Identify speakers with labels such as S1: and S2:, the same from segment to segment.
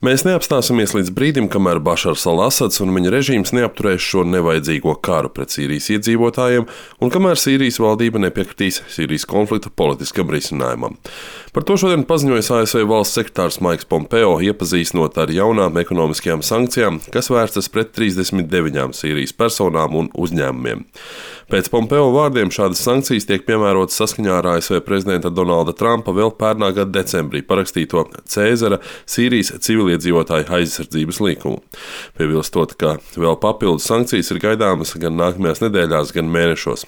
S1: Mēs neapstāsimies līdz brīdim, kamēr Bašars al-Asads un viņa režīms neapturēs šo nevajadzīgo karu pret Sīrijas iedzīvotājiem un kamēr Sīrijas valdība nepiekritīs Sīrijas konflikta politiskam risinājumam. Par to šodien paziņoja ASV valsts sekretārs Maiks Pompeo, iepazīstinot ar jaunām ekonomiskajām sankcijām, kas vērstas pret 39 Sīrijas personām un uzņēmumiem. Pēc Pompeo vārdiem šādas sankcijas tiek piemērotas saskaņā ar ASV prezidenta Donalda Trumpa vēl pērnā gada decembrī parakstīto Cēzara Sīrijas civiliedzīvotāju aizsardzības likumu. Piebilstot, ka vēl papildus sankcijas ir gaidāmas gan nākamajās nedēļās, gan mēnešos.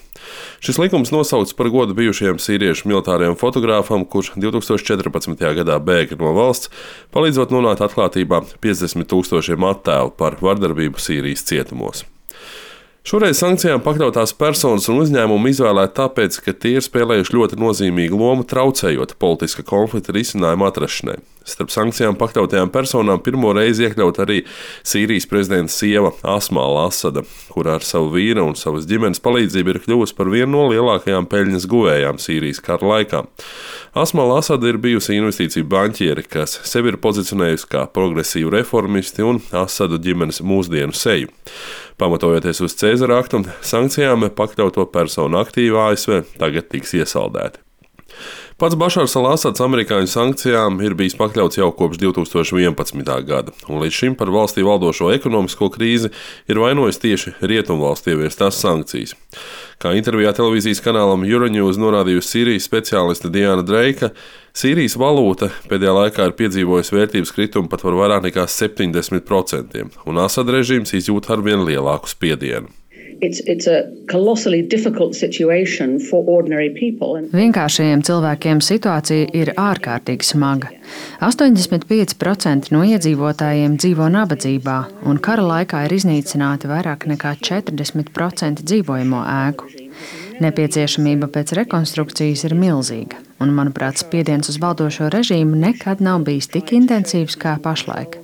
S1: Šis likums nosaukts par godu bijušajam sīriešu militārajam fotogrāfam, kurš 2014. gadā bēga no valsts, palīdzot nonākt atklātībā 50 000 attēlu par vardarbību Sīrijas cietumos. Šoreiz sankcijām pakļautās personas un uzņēmumi izvēlēti tāpēc, ka tie ir spēlējuši ļoti nozīmīgu lomu traucējot politiska konflikta risinājumu atrašanai. Starp sankcijām pakļautajām personām pirmo reizi iekļaut arī Sīrijas prezidenta sieva Asma al-Asada, kura ar savu vīra un savas ģimenes palīdzību ir kļuvusi par vienu no lielākajām peļņas guvējām Sīrijas kara laikā. Asma al-Asada ir bijusi investīciju banķieri, kas sevi ir pozicionējusi kā progresīvu reformisti un Asadu ģimenes mūsdienu seju. Pamatojoties uz Cēzara aktu, sankcijām pakļauto personu aktīvi ASV tagad tiks iesaldēti. Pats Bašars al-Asads amerikāņu sankcijām ir bijis pakļauts jau kopš 2011. gada, un līdz šim par valstī valdošo ekonomisko krīzi ir vainojis tieši rietumvalstu ieviestās sankcijas. Kā intervijā televīzijas kanālam Euronews norādījusi Sīrijas speciāliste Diana Dreika, Sīrijas valūta pēdējā laikā ir piedzīvojusi vērtības kritumu pat par vairāk nekā 70%, un Asada režīms izjūt arvien lielāku spiedienu.
S2: Vienkāršajiem cilvēkiem situācija ir ārkārtīgi smaga. 85% no iedzīvotājiem dzīvo nabadzībā, un kara laikā ir iznīcināti vairāk nekā 40% dzīvojamo ēku. Nepieciešamība pēc rekonstrukcijas ir milzīga, un, manuprāt, spiediens uz valdošo režīmu nekad nav bijis tik intensīvs kā pašlaik.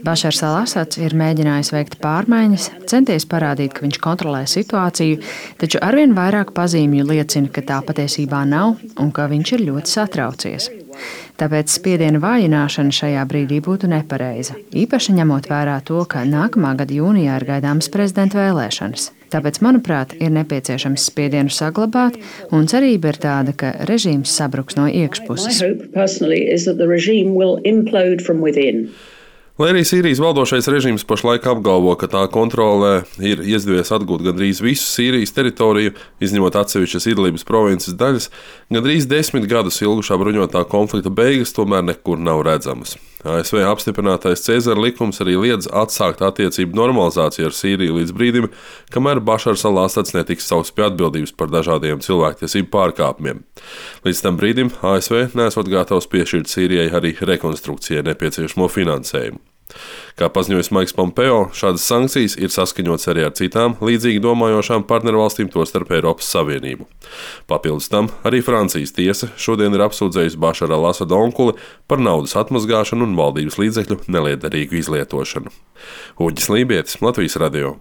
S2: Bašars al-Asads ir mēģinājis veikt pārmaiņas, centies parādīt, ka viņš kontrolē situāciju, taču arvien vairāk pazīmju liecina, ka tā patiesībā nav un ka viņš ir ļoti satraucies. Tāpēc spiediena vājināšana šajā brīdī būtu nepareiza, īpaši ņemot vērā to, ka nākamā gada jūnijā ir gaidāmas prezidenta vēlēšanas. Tāpēc, manuprāt, ir nepieciešams spiedienu saglabāt, un cerība ir tāda, ka režīms sabruks no iekšpuses.
S1: Lai arī Sīrijas valdošais režīms pašlaik apgalvo, ka tā kontrolē ir izdevies atgūt gandrīz visu Sīrijas teritoriju, izņemot atsevišķas Idlibas provinces daļas, gandrīz 10 gadus ilgušā bruņotā konflikta beigas tomēr nekur nav redzamas. ASV apstiprinātais Cēzara likums arī liedz atsākt attiecību normalizāciju ar Sīriju līdz brīdim, kamēr Bašars al-Asads netiks saukts pie atbildības par dažādiem cilvēktiesību pārkāpumiem. Līdz tam brīdim ASV nesot gatavs piešķirt Sīrijai arī rekonstrukcijai nepieciešamo finansējumu. Kā paziņojis Maiks Pompeo, šādas sankcijas ir saskaņotas arī ar citām līdzīgi domājošām partnervalstīm, tostarp Eiropas Savienību. Papildus tam arī Francijas tiesa šodien ir apsūdzējusi Bašara al-Asada onkuli par naudas atmazgāšanu un valdības līdzekļu nelietderīgu izlietošanu. Uģis Lībietis, Latvijas radio.